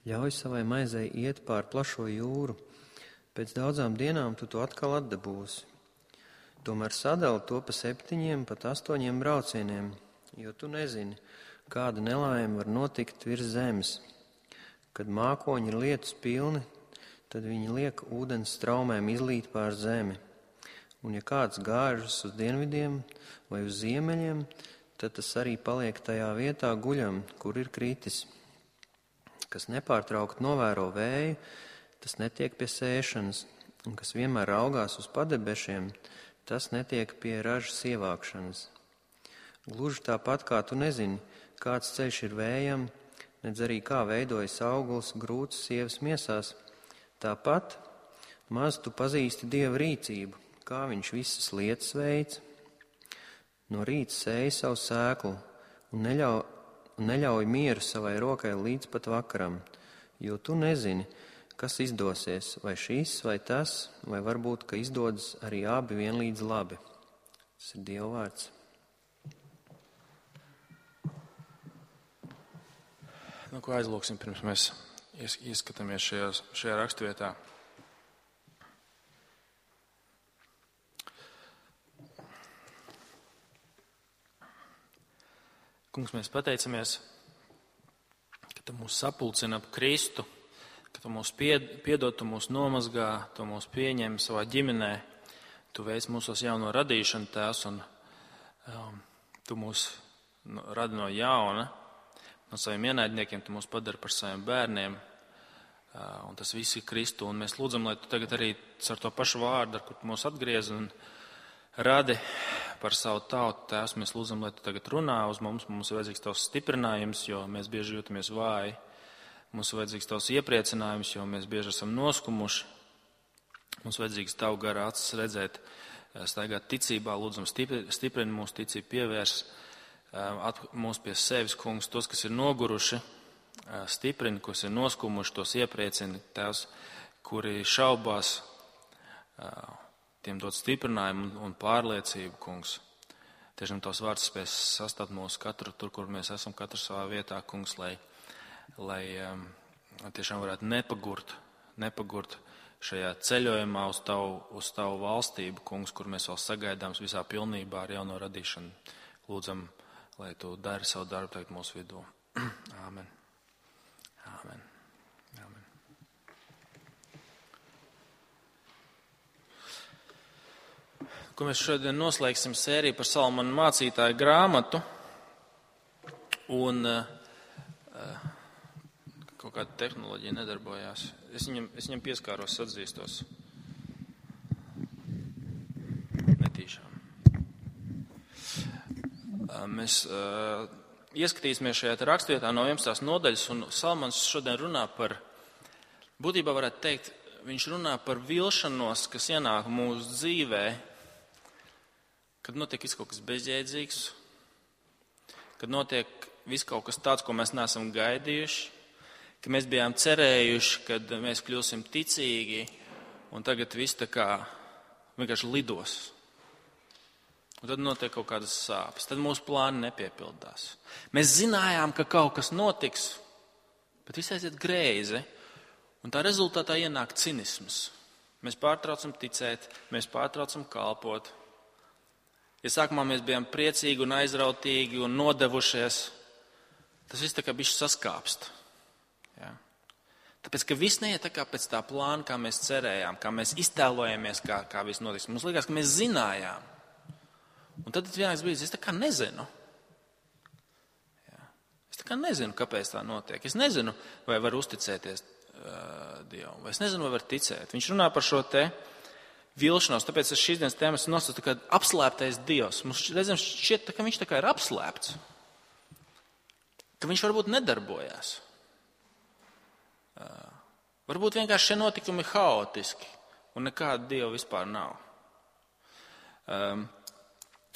Ļauj savai maizei iet pār plašo jūru. Pēc daudzām dienām tu to atkal atdabūsi. Tomēr sadali to pa 7, pat 8 braucieniem, jo tu nezini, kāda nelaime var notikt virs zemes. Kad mākoņi ir lietus pilni, tad viņi liek ūdens straumēm izlīt pār zemi. Un ja kāds gāžas uz dienvidiem vai uz ziemeļiem, tad tas arī paliek tajā vietā guļam, kur ir kritis. Kas nepārtraukt novēro vēju, tas netiek pie sēšanas, un kas vienmēr raugās uz padebešiem, tas netiek pie ražas ievākšanas. Gluži tāpat kā tu nezini, kāds ceļš ir vējam, nedz arī kā veidojas auguls grūts sievas miesās, tāpat maz tu pazīsti Dieva rīcību, kā viņš visas lietas veic. No rīta sēj savu sēklu un neļauj mieru savai rokai līdz pat vakaram, jo tu nezini, kas izdosies, vai šis, vai tas, vai varbūt, ka izdodas arī abi vienlīdz labi. Tas ir Dieva vārds. Nu, ko aizlūksim, pirms mēs ieskatāmies šajā raksturvietā. Kungs, mēs pateicamies, ka tu mūs sapulcina ap Kristu, ka tu mūs piedod, tu mūs nomazgā, tu mūs pieņem savā ģimenē, tu veic mūsos jauno radīšanu, Tēvs, un tu mūs radi no jauna, no saviem ienaidniekiem, tu mūs padari par saviem bērniem, un tas viss ir Kristu, un mēs lūdzam, lai tu tagad arī ar to pašu vārdu, ar kur tu mūs atgriez un radi par savu tautu, Tēvs, mēs lūdzam, lai tu tagad runā uz mums ir vajadzīgs tavs stiprinājums, jo mēs bieži jūtamies vāji. Mums ir vajadzīgs tavs iepriecinājums, jo mēs bieži esam noskumuši. Mums vajadzīgs tavu gara acis redzēt, staigāt ticībā, lūdzam stiprini mūsu ticību, pievērs mūs pie sevis, Kungs, tos, kas ir noguruši, stiprini, kas ir noskumuši, tos iepriecini, Tēvs, kuri šaubās, tiem dod stiprinājumu un pārliecību, Kungs. Tiešām tavs vārds spēs sastāvēt mūsu katru tur, kur mēs esam, katru savā vietā, Kungs, lai tiešām varētu nepagurt šajā ceļojumā uz tavu valstību, Kungs, kur mēs vēl sagaidām visā pilnībā ar jauno radīšanu. Lūdzam, lai tu dari savu darbu tagad mūsu vidū. Āmen. Āmen. Āmen. Ko mēs šodien noslēgsim sēriju par Salamana mācītāju grāmatu, un kaut kāda tehnoloģija nedarbojās. Es viņam pieskāros, atzīstos. Netīšām. Mēs ieskatīsimies šajā rakstvietā no 11. nodaļas, un Salamans šodien runā par, būtībā varētu teikt, viņš runā par vilšanos, kas ienāk mūsu dzīvē, kad notiek viss kaut kas bezjēdzīgs, kad notiek viss kaut kas tāds, ko mēs neesam gaidījuši, ka mēs bijām cerējuši, kad mēs kļūsim ticīgi, un tagad viss tā kā vienkārši lidos. Un tad notiek kaut kādas sāpes, tad mūsu plāni nepiepildās. Mēs zinājām, ka kaut kas notiks, bet viss aiziet greizi, un tā rezultātā ienāk cinisms. Mēs pārtraucam ticēt, mēs pārtraucam kalpot. Ja sākumā mēs bijām priecīgi un aizrautīgi un nodevušies, tas viss tā kā bišķi saskāpst. Ja? Tāpēc, ka viss neiet tā kā pēc tā plāna, kā mēs cerējām, kā mēs iztēlojamies, kā viss notiks. Mums likās, ka mēs zinājām. Un tad vienāks brīdis, es tā kā nezinu. Ja? Es tā kā nezinu, kāpēc tā notiek. Es nezinu, vai var uzticēties Dievam, vai es nezinu, vai var ticēt. Viņš runā par šo te vilšanos, tāpēc es šīs dienas tēmas nosaucu tā kā apslēptais Dievs. Mums reizēm šķiet, ka viņš tā kā ir apslēpts, ka viņš varbūt nedarbojās. Varbūt vienkārši šie notikumi haotiski un nekāda Dieva vispār nav.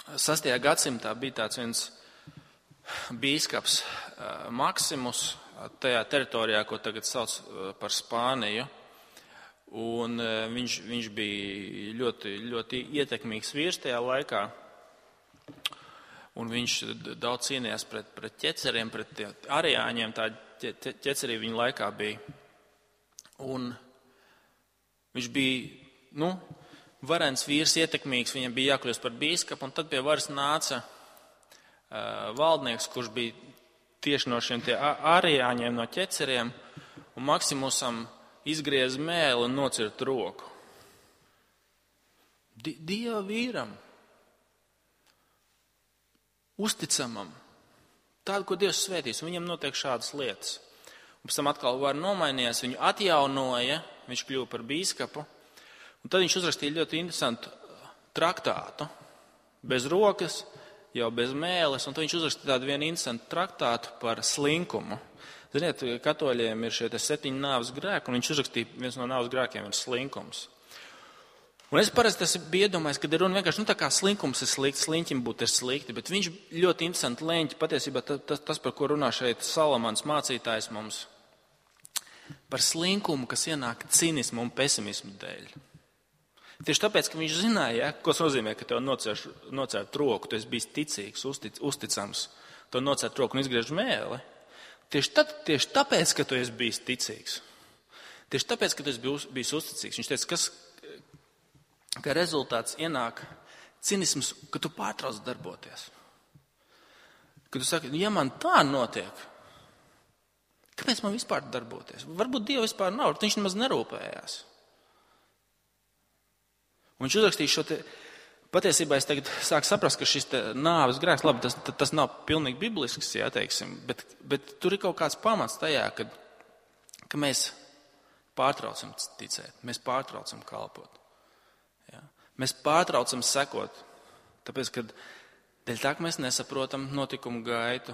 6. gadsimtā bija tāds viens bīskaps Maksimus tajā teritorijā, ko tagad sauc par Spāniju. Un viņš bija ļoti, ļoti ietekmīgs vīrs tajā laikā. Un viņš daudz cīnījās pret ķeceriem, pret arijāņiem, ķecerī viņa laikā bija. Un viņš bija, varens vīrs, ietekmīgs, viņam bija jākļūst par bīskapu, un tad pie varas nāca valdnieks, kurš bija tieši no šiem ārijāņiem, no ķeceriem, un Maksimusam izgriez mēli un nocirt roku. Dieva vīram, uzticamam, tādu, ko Dievs svētīs, un viņam notiek šādas lietas. Un pēc tam atkal var nomainījās, viņu atjaunoja, viņš kļuva par bīskapu, un tad viņš uzrakstīja ļoti interesantu traktātu, bez rokas, jau bez mēles, un tad viņš uzrakstīja tādu vienu interesantu traktātu par slinkumu. Ziniet, katoļiem ir šie 7 nāves grēki, un viņš uzrakstīja, viens no nāves grēkiem ir slinkums. Un es parasti biju iedomājies, ka ir runa vienkārši, tā kā slinkums ir slikti, sliņķim būt ir slikti, bet viņš ļoti interesanti leņķi, patiesībā tas, par ko runā šeit Salamans mācītājs mums, par slinkumu, kas ienāk cinismu un pesimismu dēļ. Tieši tāpēc, ka viņš zināja, ko tas nozīmē, ka tev nocērt roku, tu esi bijis ticīgs, uzticams, tev nocērt roku un izgriež mēli. Tieši tāpēc, ka tu esi bijis ticīgs, tieši tāpēc, ka tu esi bijis uzticīgs, viņš teica, ka rezultāts ienāk cinisms, ka tu pārtrauc darboties. Kad tu saki, ja man tā notiek, kāpēc man vispār darboties? Varbūt Dieva vispār nav, viņš nemaz nerūpējās. Un viņš uzrakstīja šo te, patiesībā es tagad sāku saprast, ka šis nāves grēks, labi, tas nav pilnīgi biblisks, jā, teiksim, bet tur ir kaut kāds pamats tajā, ka mēs pārtraucam ticēt, mēs pārtraucam kalpot. Jā. Mēs pārtraucam sekot, tāpēc, ka dēļ tā, ka mēs nesaprotam notikumu gaitu,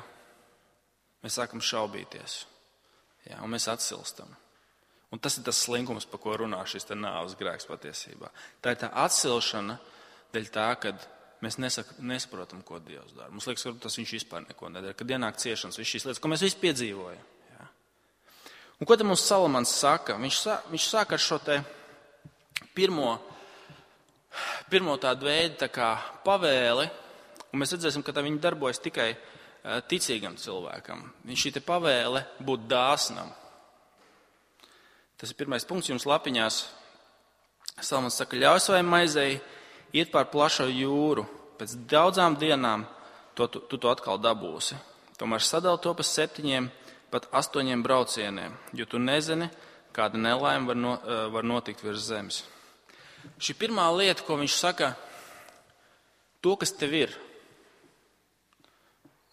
mēs sākam šaubīties, jā, un mēs atsilstam. Un tas ir tas slinkums, par ko runā šis nāves grēks patiesībā. Tā ir tā atsilšana dēļ tā, ka mēs nesaprotam, ko Dievs dara. Mums liekas, ka tas viņš vispār neko nedara, kad ienāk ciešanas, viss šīs lietas, ko mēs visi piedzīvojam. Jā. Un ko te mums Salamans saka? Viņš saka ar šo te pirmo tādu veidu tā kā pavēli, un mēs redzēsim, ka tā viņi darbojas tikai ticīgam cilvēkam. Viņš šī te pavēle būt dāsnam. Tas ir pirmais punkts jums lapiņās. Salamans saka, ļauj savai maizei iet pār plašo jūru. Pēc daudzām dienām tu to atkal dabūsi. Tomēr sadali to pa 7, pat 8 braucieniem, jo tu nezini, kāda nelaime var notikt virs zemes. Šī pirmā lieta, ko viņš saka, to, kas tev ir,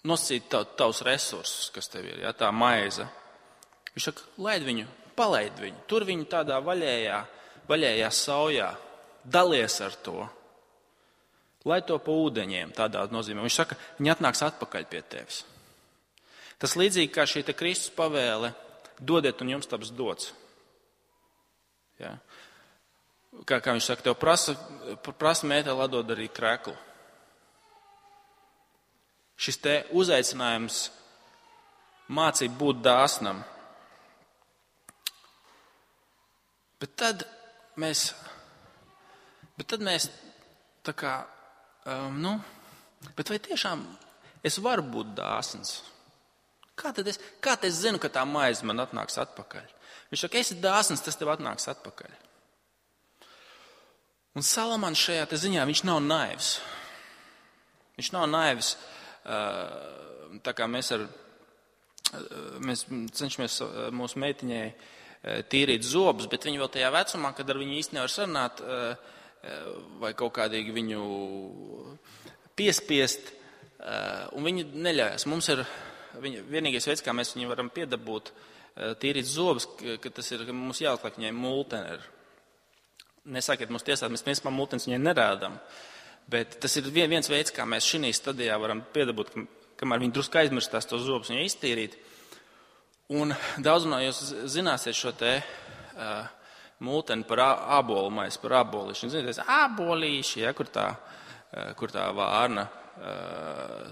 nosacīt tavus resursus, kas tev ir, ja, tā maize. Viņš saka, palaid viņu, tur viņu tādā vaļējā saujā, dalies ar to, lai to pa ūdeņiem, tādā nozīmē. Viņš saka, viņi atnāks atpakaļ pie tevis. Tas līdzīgi kā šī te Kristus pavēle, dodiet un jums taps dots. Ja. Kā viņš saka, tev prasa mēteli atdod arī kreklu. Šis te uzaicinājums mācīt būt dāsnam. Bet tad mēs tā kā, bet vai tiešām es varu būt dāsns? Kā tad es zinu, ka tā maize man atnāks atpakaļ? Viņš saka, esi dāsns, tas tev atnāks atpakaļ. Un Salamans šajā te ziņā, viņš nav naivs. Viņš nav naivs, tā kā mēs cenšamies mūsu meitiņai tīrīt zobus, bet viņi vēl tajā vecumā, kad ar viņu īsti nevar sarunāt vai kaut kādīgi viņu piespiest, un viņi neļaujas. Mums ir vienīgais veids, kā mēs viņu varam piedabūt tīrīt zobus, ka tas ir, ka mums jāatliek viņai multeni. Nesakiet mums tiesāt, mēs principā multenis viņai nerādām, bet tas ir viens veids, kā mēs šī stadijā varam piedabūt, kamēr viņi drusku aizmirstās tos zobus viņai iztīrīt. Un daudz no jūs zināsiet šo te multeni par ābolu maizi, par ābolīšu. Ziniet, ābolīši, ja, kur tā vārna,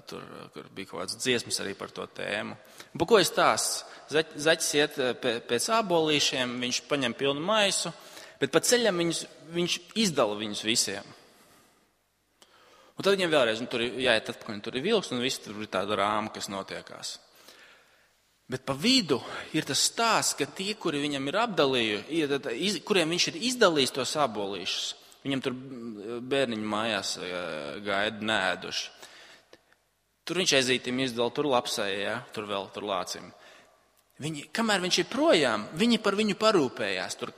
kur bija kaut kāds dziesmas arī par to tēmu. Un par ko es tās? Zaķis iet pēc ābolīšiem, viņš paņem pilnu maisu, bet pa ceļam viņš izdala viņus visiem. Un tad viņiem vēlreiz, tur ir jāiet atpakaļ, tur ir vilks, un viss tur ir tāda rāma, kas notiekās. Bet pa vidu ir tas stāsts, ka tie, kuri viņam ir apdalījuši, kuriem viņš ir izdalījis tos abolīšus, viņam tur bērniņu mājās gaida nēduši. Tur viņš ezītim izdala, tur lapsēja, tur lācim. Kamēr viņš ir projām, viņi par viņu parūpējās. Tur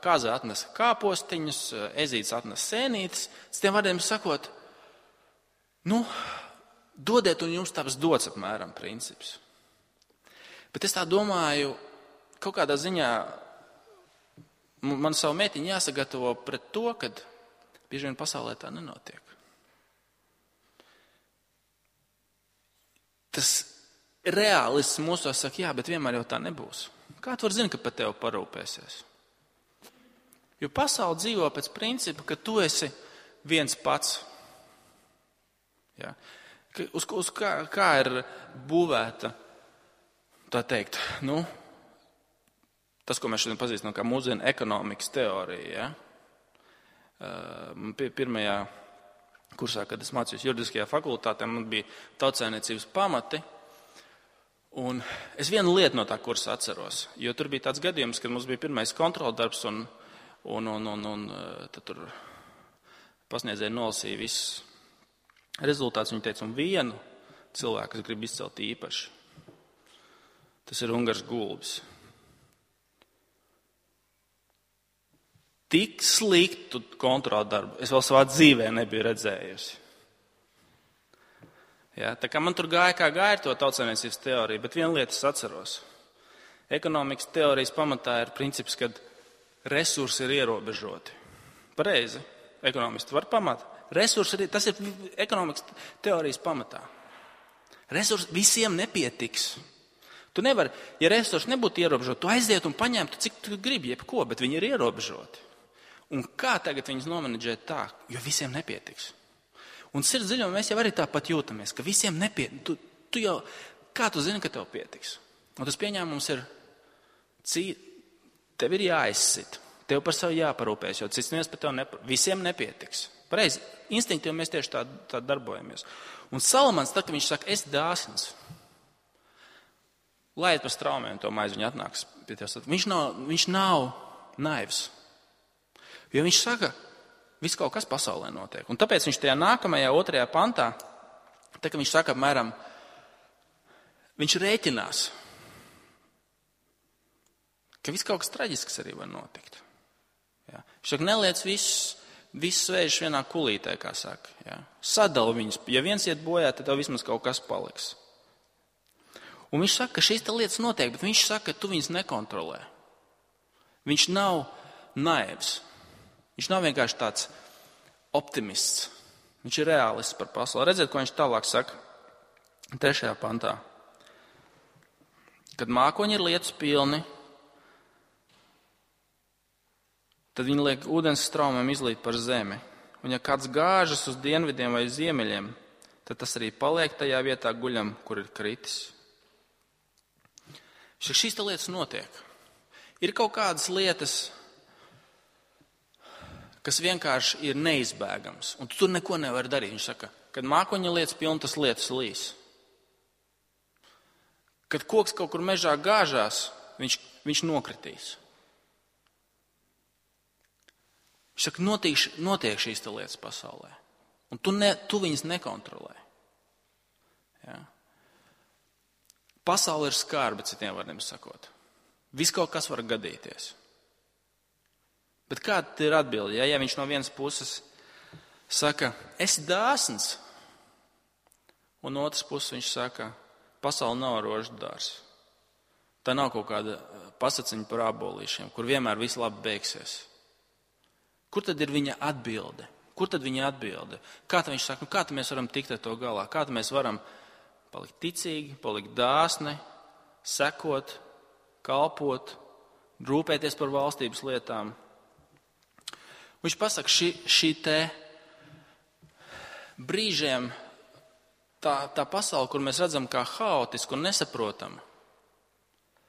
kaza atnesa kāpostiņus, ezīts atnesa sēnītes. Tiem vārdiem sakot, dodiet un jums taps dots apmēram princips. Bet es tā domāju, kaut kādā ziņā man savu meitiņu jāsagatavo pret to, kad bieži vien pasaulē tā nenotiek. Tas reālists mūsos saka, jā, bet vienmēr jau tā nebūs. Kā tu vari zināt, ka par tevi parūpēsies? Jo pasaule dzīvo pēc principa, ka tu esi viens pats. Jā. Kā ir būvēta, tā teikt, tas, ko mēs šodien pazīstam kā mūsdienu ekonomikas teorija. Ja? Pirmajā kursā, kad es mācījos juridiskajā fakultātē, man bija tautsājniecības pamati. Un es vienu lietu no tā kursa atceros, jo tur bija tāds gadījums, kad mums bija pirmais kontroldarbs un tad tur pasniedzēji nolasīja visus rezultātus. Viņi teica, un vienu cilvēku es gribu izcelt īpaši. Tas ir Ungars Gulbis. Tik sliktu kontroldarbu es vēl savā dzīvē nebiju redzējusi. Ja, tā kā man tur gāja, kā gāja to tautsājniecības teoriju, bet vienu lietu es atceros. Ekonomikas teorijas pamatā ir princips, ka resursi ir ierobežoti. Pareizi. Ekonomisti var pamatā. Tas ir ekonomikas teorijas pamatā. Resursi visiem nepietiks. Tu nevari, ja resursi nebūtu ierobežoti, tu aiziet un paņemtu, cik tu gribi, jebko, bet viņi ir ierobežoti. Un kā tagad viņus nomenedžēt tā, jo visiem nepietiks? Un sirds dziļumā mēs jau arī tāpat jūtamies, ka visiem nepietiks. Kā tu zini, ka tev pietiks? Un tas pieņēmums ir, tev ir jāizsit, tev par savu jāparūpēs, jo cits neviens par tev visiem nepietiks. Pareizi, instinktīvi mēs tieši tā darbojamies. Un Salamans, tad, kad viņš saka, es dāsns, laiet par straumēm to maizi, viņa atnāks pie tevis. Viņš nav naivs. Jo viņš saka, viss kaut kas pasaulē notiek. Un tāpēc viņš tajā nākamajā 2. pantā, tā kā viņš saka apmēram, viņš rēķinās, ka viss kaut kas traģisks arī var notikt. Ja. Viņš saka, neliec visus svēžus vienā kulītē, kā saka. Ja. Sadala viņus. Ja viens iet bojā, tad tev vismaz kaut kas paliks. Un viņš saka, ka šīs lietas notiek, bet viņš saka, ka tu viņus nekontrolē. Viņš nav naivs. Viņš nav vienkārši tāds optimists. Viņš ir reālists par pasauli. Redziet, ko viņš tālāk saka 3. pantā. Kad mākoņi ir lietus pilni, tad viņi liek ūdens straumēm izlīt par zemi. Un ja kāds gāžas uz dienvidiem vai ziemeļiem, tad tas arī paliek tajā vietā guļam, kur ir kritis. Šīs lietas notiek. Ir kaut kādas lietas, kas vienkārši ir neizbēgams, un tu tur neko nevar darīt. Viņš saka, kad mākoņa lietas pilna, tas lietus līs. Kad koks kaut kur mežā gāžās, viņš nokritīs. Viņš saka, notiek šīs lietas pasaulē, un tu viņas nekontrolē. Ja? Pasaule ir skarba, citiem vārdiem sakot. Viss kaut kas var gadīties. Bet kāda ir atbilde? Ja viņš no vienas puses saka, esi dāsns, un no otras puses viņš saka, pasaule nav rožu dārs. Tā nav kaut kāda pasaciņa par abolīšiem, kur vienmēr viss labi beigsies. Kur tad ir viņa atbilde? Kā tad viņš saka, kā tad mēs varam tikt ar to galā? Kā tad mēs varam palikt ticīgi, palikt dāsni, sekot, kalpot, rūpēties par valstības lietām? Viņš pasaka, šī te brīžiem tā pasaule, kur mēs redzam kā haotisku un nesaprotamu.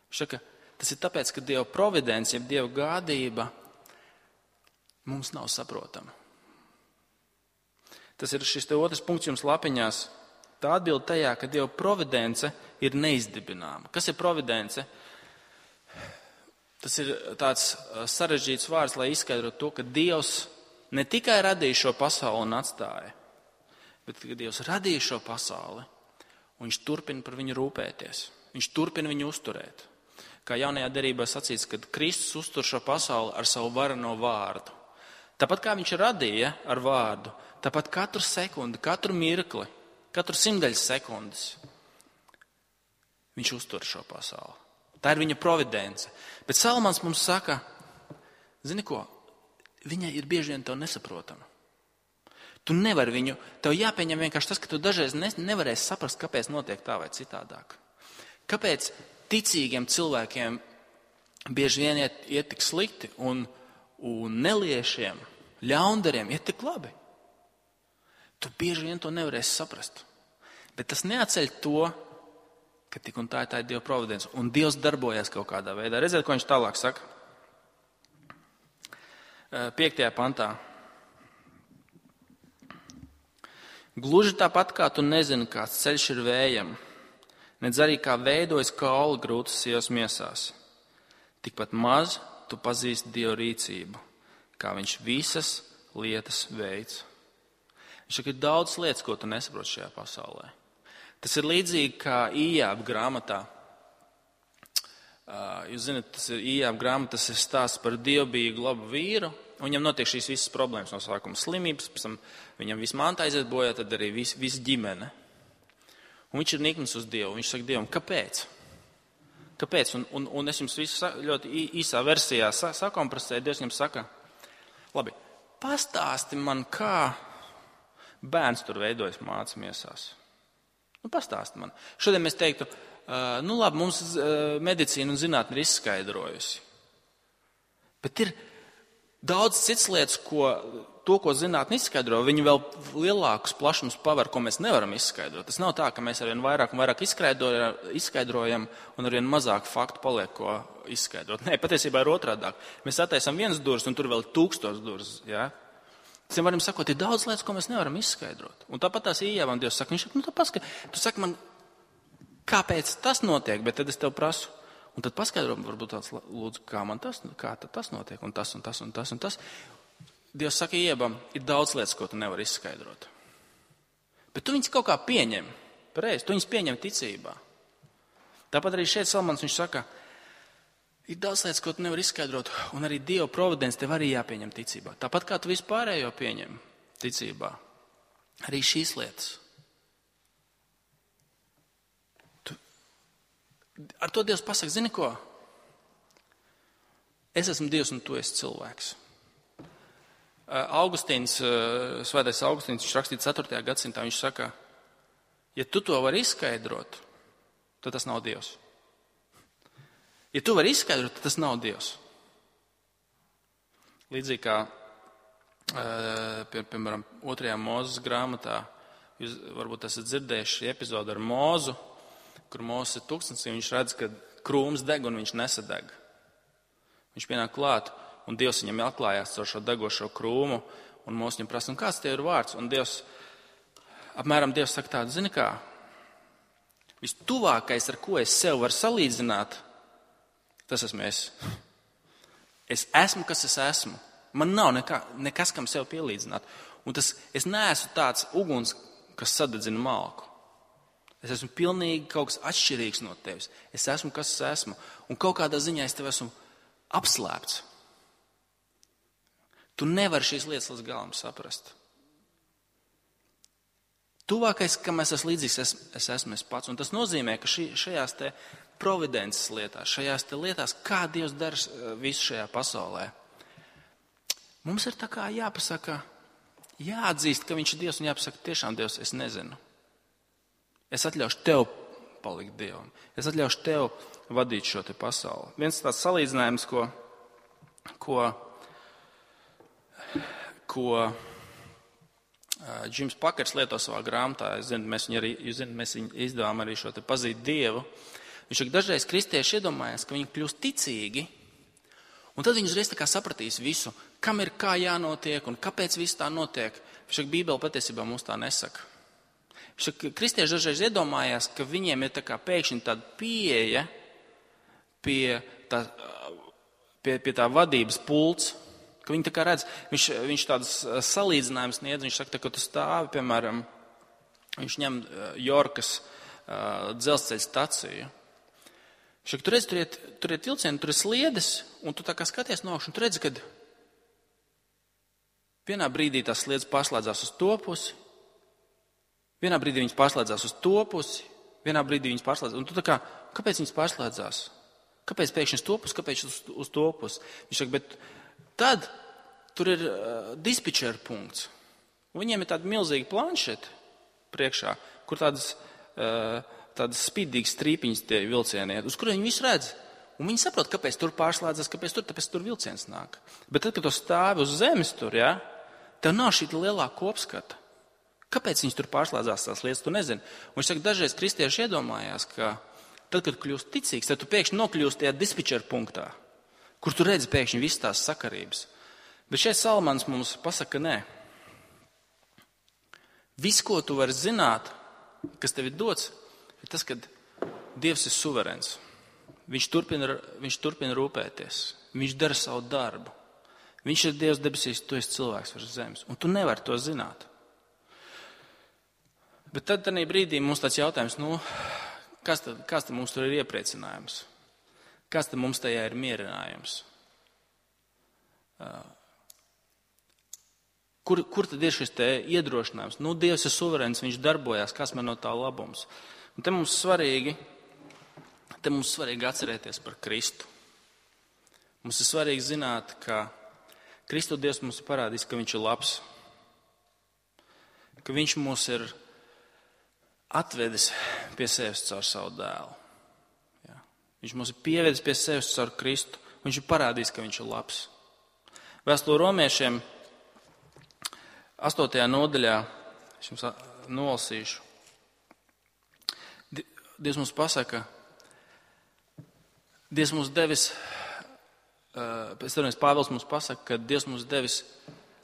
Viņš saka, tas ir tāpēc, ka Dieva providence, jeb Dieva gādība mums nav saprotama. Tas ir šis te otrs punkts jums lapiņās. Tā atbilde tajā, ka Dieva providence ir neizdibināma. Kas ir providence? Tas ir tāds sarežģīts vārds, lai izskaidrotu to, ka Dievs ne tikai radīja šo pasauli un atstāja, bet ka Dievs radīja šo pasauli un viņš turpina par viņu rūpēties. Viņš turpina viņu uzturēt. Kā jaunajā derībā sacīts, kad Kristus uztur šo pasauli ar savu vareno vārdu. Tāpat kā viņš radīja ar vārdu, tāpat katru sekundi, katru mirkli, katru simtdaļas sekundes viņš uztur šo pasauli. Tā ir viņa providence. Bet Salmans mums saka, zini ko, viņai ir bieži vien tev nesaprotama. Tu nevari viņu, tev jāpieņem vienkārši tas, ka tu dažreiz nevarēsi saprast, kāpēc notiek tā vai citādāk. Kāpēc ticīgiem cilvēkiem bieži vien iet tik slikti un neliešiem, ļaundariem iet tik labi? Tu bieži vien to nevarēsi saprast. Bet tas neatceļ to, ka tik un tā ir Dieva providence. Un Dievs darbojas kaut kādā veidā. Redziet, ko viņš tālāk saka. 5. pantā. Gluži tāpat kā tu nezini, kāds ceļš ir vējam, nedz arī kā veidojas kauli grūtas sievas miesās. Tikpat maz tu pazīsti Dieva rīcību, kā viņš visas lietas veids. Viņš saka, ir daudz lietas, ko tu nesaproti šajā pasaulē. Tas ir līdzīgi kā Ījāba grāmatā. Jūs zināt, tas ir Ījāba grāmata, tas ir stāsts par dievbijīgu labu vīru, un viņam notiek šīs visas problēmas no sākuma slimības, pēc tam viņam viss manta aiziet bojā, tad arī viss ģimene. Un viņš ir niknis uz Dievu. Viņš saka Dievam, kāpēc? Kāpēc? Un es jums visu ļoti īsā versijā sakompresēju. Dievs viņam saka, labi, pastāsti man, kā bērns tur veidojas mācas miesās. Pastāsti man. Šodien mēs teiktu, labi, mums medicīna un zinātne ir izskaidrojusi. Bet ir daudz cits lietas, ko zinātne izskaidro, viņi vēl lielākus plašumus paver, ko mēs nevaram izskaidrot. Tas nav tā, ka mēs arvien vairāk un vairāk izskaidrojam un arvien mazāk faktu paliek, ko izskaidrot. Nē, patiesībā ir otrādāk. Mēs attaisam vienas durvis un tur vēl 1000 durvis, jā? Tiem varam sakot, ir daudz lietas, ko mēs nevaram izskaidrot. Un tāpat tās Ījābam Dievs saka, viņš saka, tu saki man, kāpēc tas notiek, bet tad es tev prasu. Un tad paskaidro, varbūt tāds lūdzu, kā tas notiek, un tas, un tas, un tas, un tas. Dievs saka Ījābam, ir daudz lietas, ko tu nevari izskaidrot. Bet tu viņus kaut kā pieņem, pareizi, tu viņus pieņem ticībā. Tāpat arī šeit Salmans viņš saka, ir daudz lietas, ko tu nevari izskaidrot, un arī Dieva providence tev arī jāpieņem ticībā. Tāpat kā tu vispārējo pieņem ticībā. Arī šīs lietas. Ar to Dievs pasaka, zini ko? Es esmu Dievs un tu esi cilvēks. Augustīns, svētais Augustīns, viņš rakstīja 4. gadsimtā, viņš saka, ja tu to vari izskaidrot, tad tas nav Dievs. Ja tu vari izskaidrot, tad tas nav Dievs. Līdzīgi kā, piemēram, 2. Mūzes grāmatā, jūs varbūt esat dzirdējuši epizodu ar Mūzu, kur Mūzes ir tūkstnesī, viņš redz, ka krūms deg un viņš nesadeg. Viņš pienāk klāt, un Dievs viņam atklājās caur šo degošo krūmu, un Mūzes viņam prasa, un kāds tev ir vārds? Un Dievs saka tādu, zini kā, vistuvākais, ar ko es sev varu salīdzināt, tas esmu es. Es esmu, kas es esmu. Man nav nekas, kam sev pielīdzināt. Un es neesmu tāds uguns, kas sadedzina malku. Es esmu pilnīgi kaut kas atšķirīgs no tevis. Es esmu, kas es esmu. Un kaut kādā ziņā es tev esmu apslēpts. Tu nevari šīs lietas līdz galam saprast. Tuvākais, kam es esmu līdzīgs, es esmu es pats. Un tas nozīmē, ka šajās te providences lietās, šajās te lietās, kā Dievs dara visu šajā pasaulē, mums ir tā kā jāpasaka, jāatzīst, ka viņš ir Dievs un jāpasaka, tiešām Dievs, es nezinu. Es atļaušu tev palikt Dievam. Es atļaušu tev vadīt šo te pasauli. Viens tāds salīdzinājums, ko Džims Pakers lieto savā grāmatā, mēs viņu izdevām arī šo te pazīt Dievu. Viņš saka, dažreiz kristieši iedomājas, ka viņi kļūst ticīgi, un tad viņi uzreiz tā kā sapratīs visu, kam ir kā jānotiek un kāpēc viss tā notiek. Viņš saka, Bībele patiesībā mums tā nesaka. Kristieši dažreiz iedomājās, ka viņiem ir tā kā pēkšņi tāda pieeja pie tā vadības pults, ka viņi tā kā redz, viņš tādas salīdzinājumus sniedz, viņš saka, ka tu stāvi, piemēram, viņš ņem Jorkas dzelzceļa staciju. Viņš saka, tur ir vilcieni, tur ir sliedes, un tu tā kā skaties no augšas, un tu redzi, ka vienā brīdī tās sliedes pārslēdzās uz to pusi, vienā brīdī viņas pārslēdzās uz to pusi, vienā brīdī viņas pārslēdzās. Un tu tā kā, kāpēc viņas pārslēdzās? Kāpēc pēkšņi uz to pusi, kāpēc uz to pusi? Viņš saka, bet tad tur ir dispečera punkts. Un viņiem ir tāda milzīga planšeta priekšā, kur tādas spīdīgas strīpiņas tie vilcieni iet, uz kuriem viņi visu redz. Un viņi saprot, kāpēc tur pārslēdzas, tāpēc tur vilciens nāk. Bet tad, kad tu stāvi uz zemes tur, ja, tev nav šī lielā kopskata. Kāpēc viņas tur pārslēdzās tās lietas, tu nezini. Un viņš saka, dažreiz kristieši iedomājās, ka tad, kad kļūst ticīgs, tad tu pēkšņi nokļūst tajā dispečera punktā, kur tu redzi pēkšņi visas tās sakarības. Bet šeit Salmans mums pasaka, nē. Viss, ko tu vari zināt, kas tev ir dots, ir tas, ka Dievs ir suverēns. Viņš turpina rūpēties. Viņš dara savu darbu. Viņš ir Dievs debesīs, tu esi cilvēks virs zemes. Un tu nevari to zināt. Bet tad tādā brīdī mums tāds jautājums, kas tad mums tur ir iepriecinājums? Kas tad mums tajā ir mierinājums? Kur tad ir šis te iedrošinājums? Dievs ir suverēns, viņš darbojās, kas man no tā labums? Un te mums svarīgi atcerēties par Kristu. Mums ir svarīgi zināt, ka Kristu Dievs mums ir parādījis, ka viņš ir labs. Ka viņš mūs ir atvedis pie sevis caur savu dēlu. Jā. Viņš mums ir pievedis pie sevis caur Kristu. Viņš ir parādījis, ka viņš ir labs. Vēstule Romiešiem 8. nodaļā, es jums nolasīšu. Dievs mums pasaka, Dievs mums devis, Pāvils mums pasaka, ka Dievs mums devis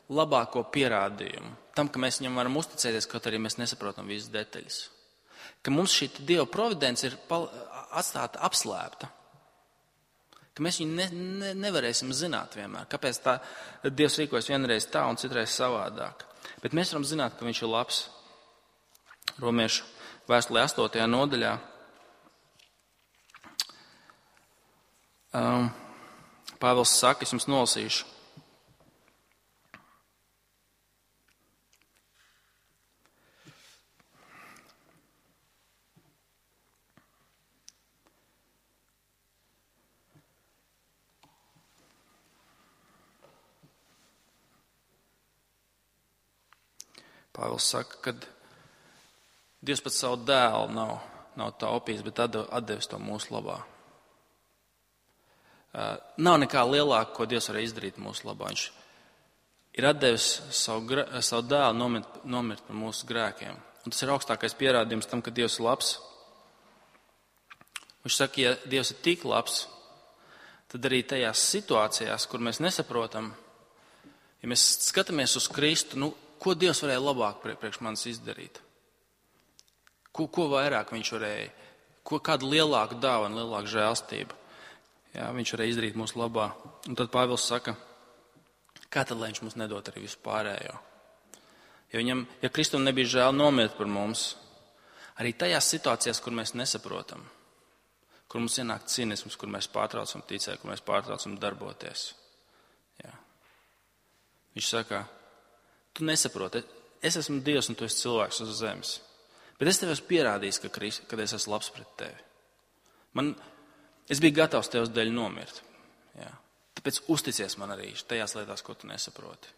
labāko pierādījumu tam, ka mēs viņam varam uzticēties, kaut arī mēs nesaprotam visas detaļas. Ka mums šī Dieva providence ir atstāta apslēpta. Ka mēs viņu nevarēsim zināt vienmēr. Kāpēc tā Dievs rīkojas vienreiz tā un citreiz savādāk. Bet mēs varam zināt, ka viņš ir labs. Romiešu vēstulē 8. nodaļā. Pāvils saka, es jums nolasīšu. Pāvils saka, ka Dievs pat savu dēlu nav taupījis, bet atdevis to mūsu labā. Nav nekā lielāka, ko Dievs varēja izdarīt mūsu labā. Viņš ir atdevis savu dēlu nomirt par mūsu grēkiem. Un tas ir augstākais pierādījums tam, ka Dievs ir labs. Viņš saka, ja Dievs ir tik labs, tad arī tajās situācijās, kur mēs nesaprotam, ja mēs skatāmies uz Kristu, ko Dievs varēja labāk priekš manis izdarīt? Ko vairāk viņš varēja? Kādu lielāku dāvanu, lielāku žēlstību? Jā, viņš varēja izdarīt mūsu labā. Un tad Pāvils saka, kā tad, lai viņš mums nedod arī visu pārējo? Ja Kristum nebija žēl nomirt par mums, arī tajās situācijās, kur mēs nesaprotam, kur mums ienāk cinisms, kur mēs pārtraucam ticēt, kur mēs pārtraucam darboties. Jā. Viņš saka, tu nesaproti, es esmu Dievs un tu esi cilvēks uz zemes. Bet es tev esmu pierādījis, ka es esmu labs pret tevi. Es biju gatavs tevs dēļ nomirt. Jā. Tāpēc uzticies man arī tajās lietās, ko tu nesaproti.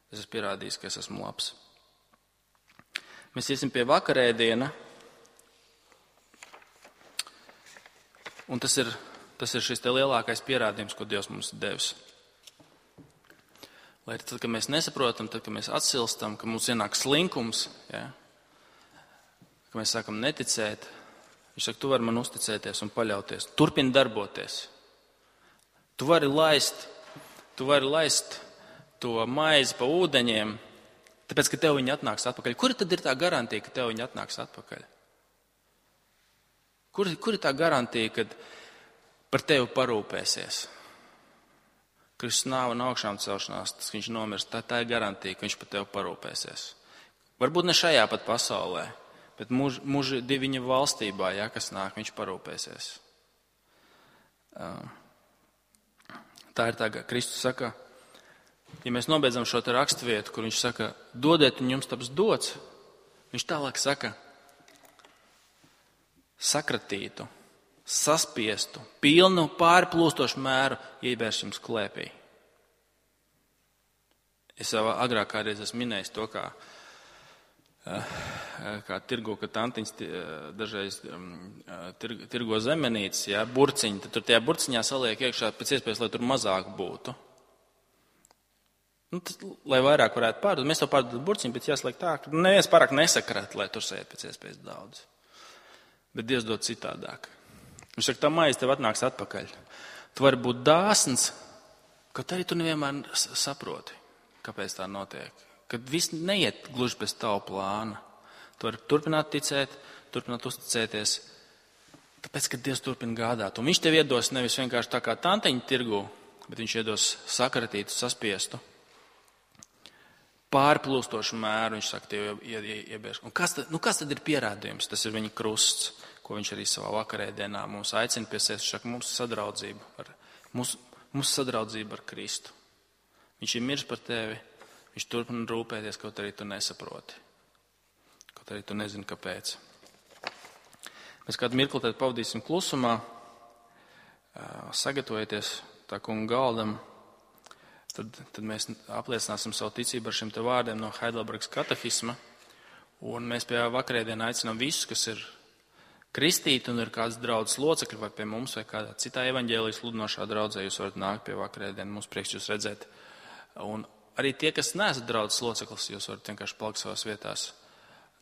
Es esmu pierādījis, ka es esmu labs. Mēs iesim pie vakarēdiena. Un tas ir šis te lielākais pierādījums, ko Dievs mums ir devis. Lai tad, kad mēs nesaprotam, tad, kad mēs atsilstam, ka mums ienāk slinkums, ja, ka mēs sākam neticēt, viņš saka, tu vari man uzticēties un paļauties. Turpini darboties. Tu vari laist to maizi pa ūdeņiem, Tāpēc, ka tev viņi atnāks atpakaļ. Kur tad ir tā garantija, ka tev viņi atnāks atpakaļ? Kur ir tā garantija, kad par tevi parūpēsies? Kristus nāva un augšām celšanās, tas, ka viņš nomirst, tā ir garantija, ka viņš par tevi parūpēsies. Varbūt ne šajā pat pasaulē, bet mūži viņa valstībā, ja, kas nāk, viņš parūpēsies. Tā ir tā, ka Kristus saka, ja mēs nobeidzam šo te raksturvietu, kur viņš saka, dodiet un jums taps dots, viņš tālāk saka, sakratītu, saspiestu, pilnu pārplūstošu mēru iebērs jums klēpī. Es jau agrāk kādreiz esmu minējis to, kā tirgo, ka tantiņas dažreiz tirgo zemenītes, ja, burciņi, tad tur tajā burciņā saliek iekšā pēc iespējas, lai tur mazāk būtu. Nu, tas, lai vairāk varētu pārdot, mēs to pārdot burciņu, bet jāsliek tā, ka neviens pārāk nesakrāt, lai tur sēd pēc iespējas daudz. Bet Dievs dod citādāk. Viņš saka, tā maize tev atnāks atpakaļ. Tu vari būt dāsns, kaut arī tu nevienmēr saproti, kāpēc tā notiek. Kad viss neiet gluži bez tavu plāna. Tu vari turpināt ticēt, turpināt uzticēties, tāpēc, ka Dievs turpina gādāt. Un viņš tev iedos nevis vienkārši tā kā tantiņu tirgu, bet viņš iedos sakratītu, saspiestu, pārplūstošu mēru, viņš saka, tev iebērs. Un kas tad ir pierādījums? Tas ir viņa krusts, ko viņš arī savā vakarēdienā mums aicina pie sevis. Viņš saka, mums sadraudzība ar Kristu. Viņš ir miris par tevi, viņš turpina rūpēties, kaut arī tu nesaproti. Kaut arī tu nezini, kāpēc. Mēs kādu mirkli tad pavadīsim klusumā, sagatavojieties tā kunga galdam. Tad mēs apliecināsim savu ticību ar šiem te vārdiem no Heidelbergas katehisma. Un mēs pie vakarēdienā aicinām visus, kas ir kristīti un ir kāds draudzes locekļi vai pie mums vai kādā citā evaņģēlijas sludinošā draudzē, jūs varat nākt pie vakarēdienu, mums prieks jūs redzēt. Un arī tie, kas neesat draudzes loceklis, jūs varat vienkārši palikt savās vietās,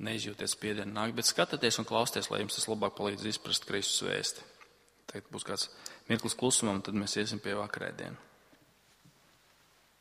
neizjūties spiedienu nākt, bet skatieties un klausieties, lai jums tas labāk palīdz izprast Kristus vēsti. Tagad būs kāds mirklis klusumam, tad mēs iesim pie vakarēdienu.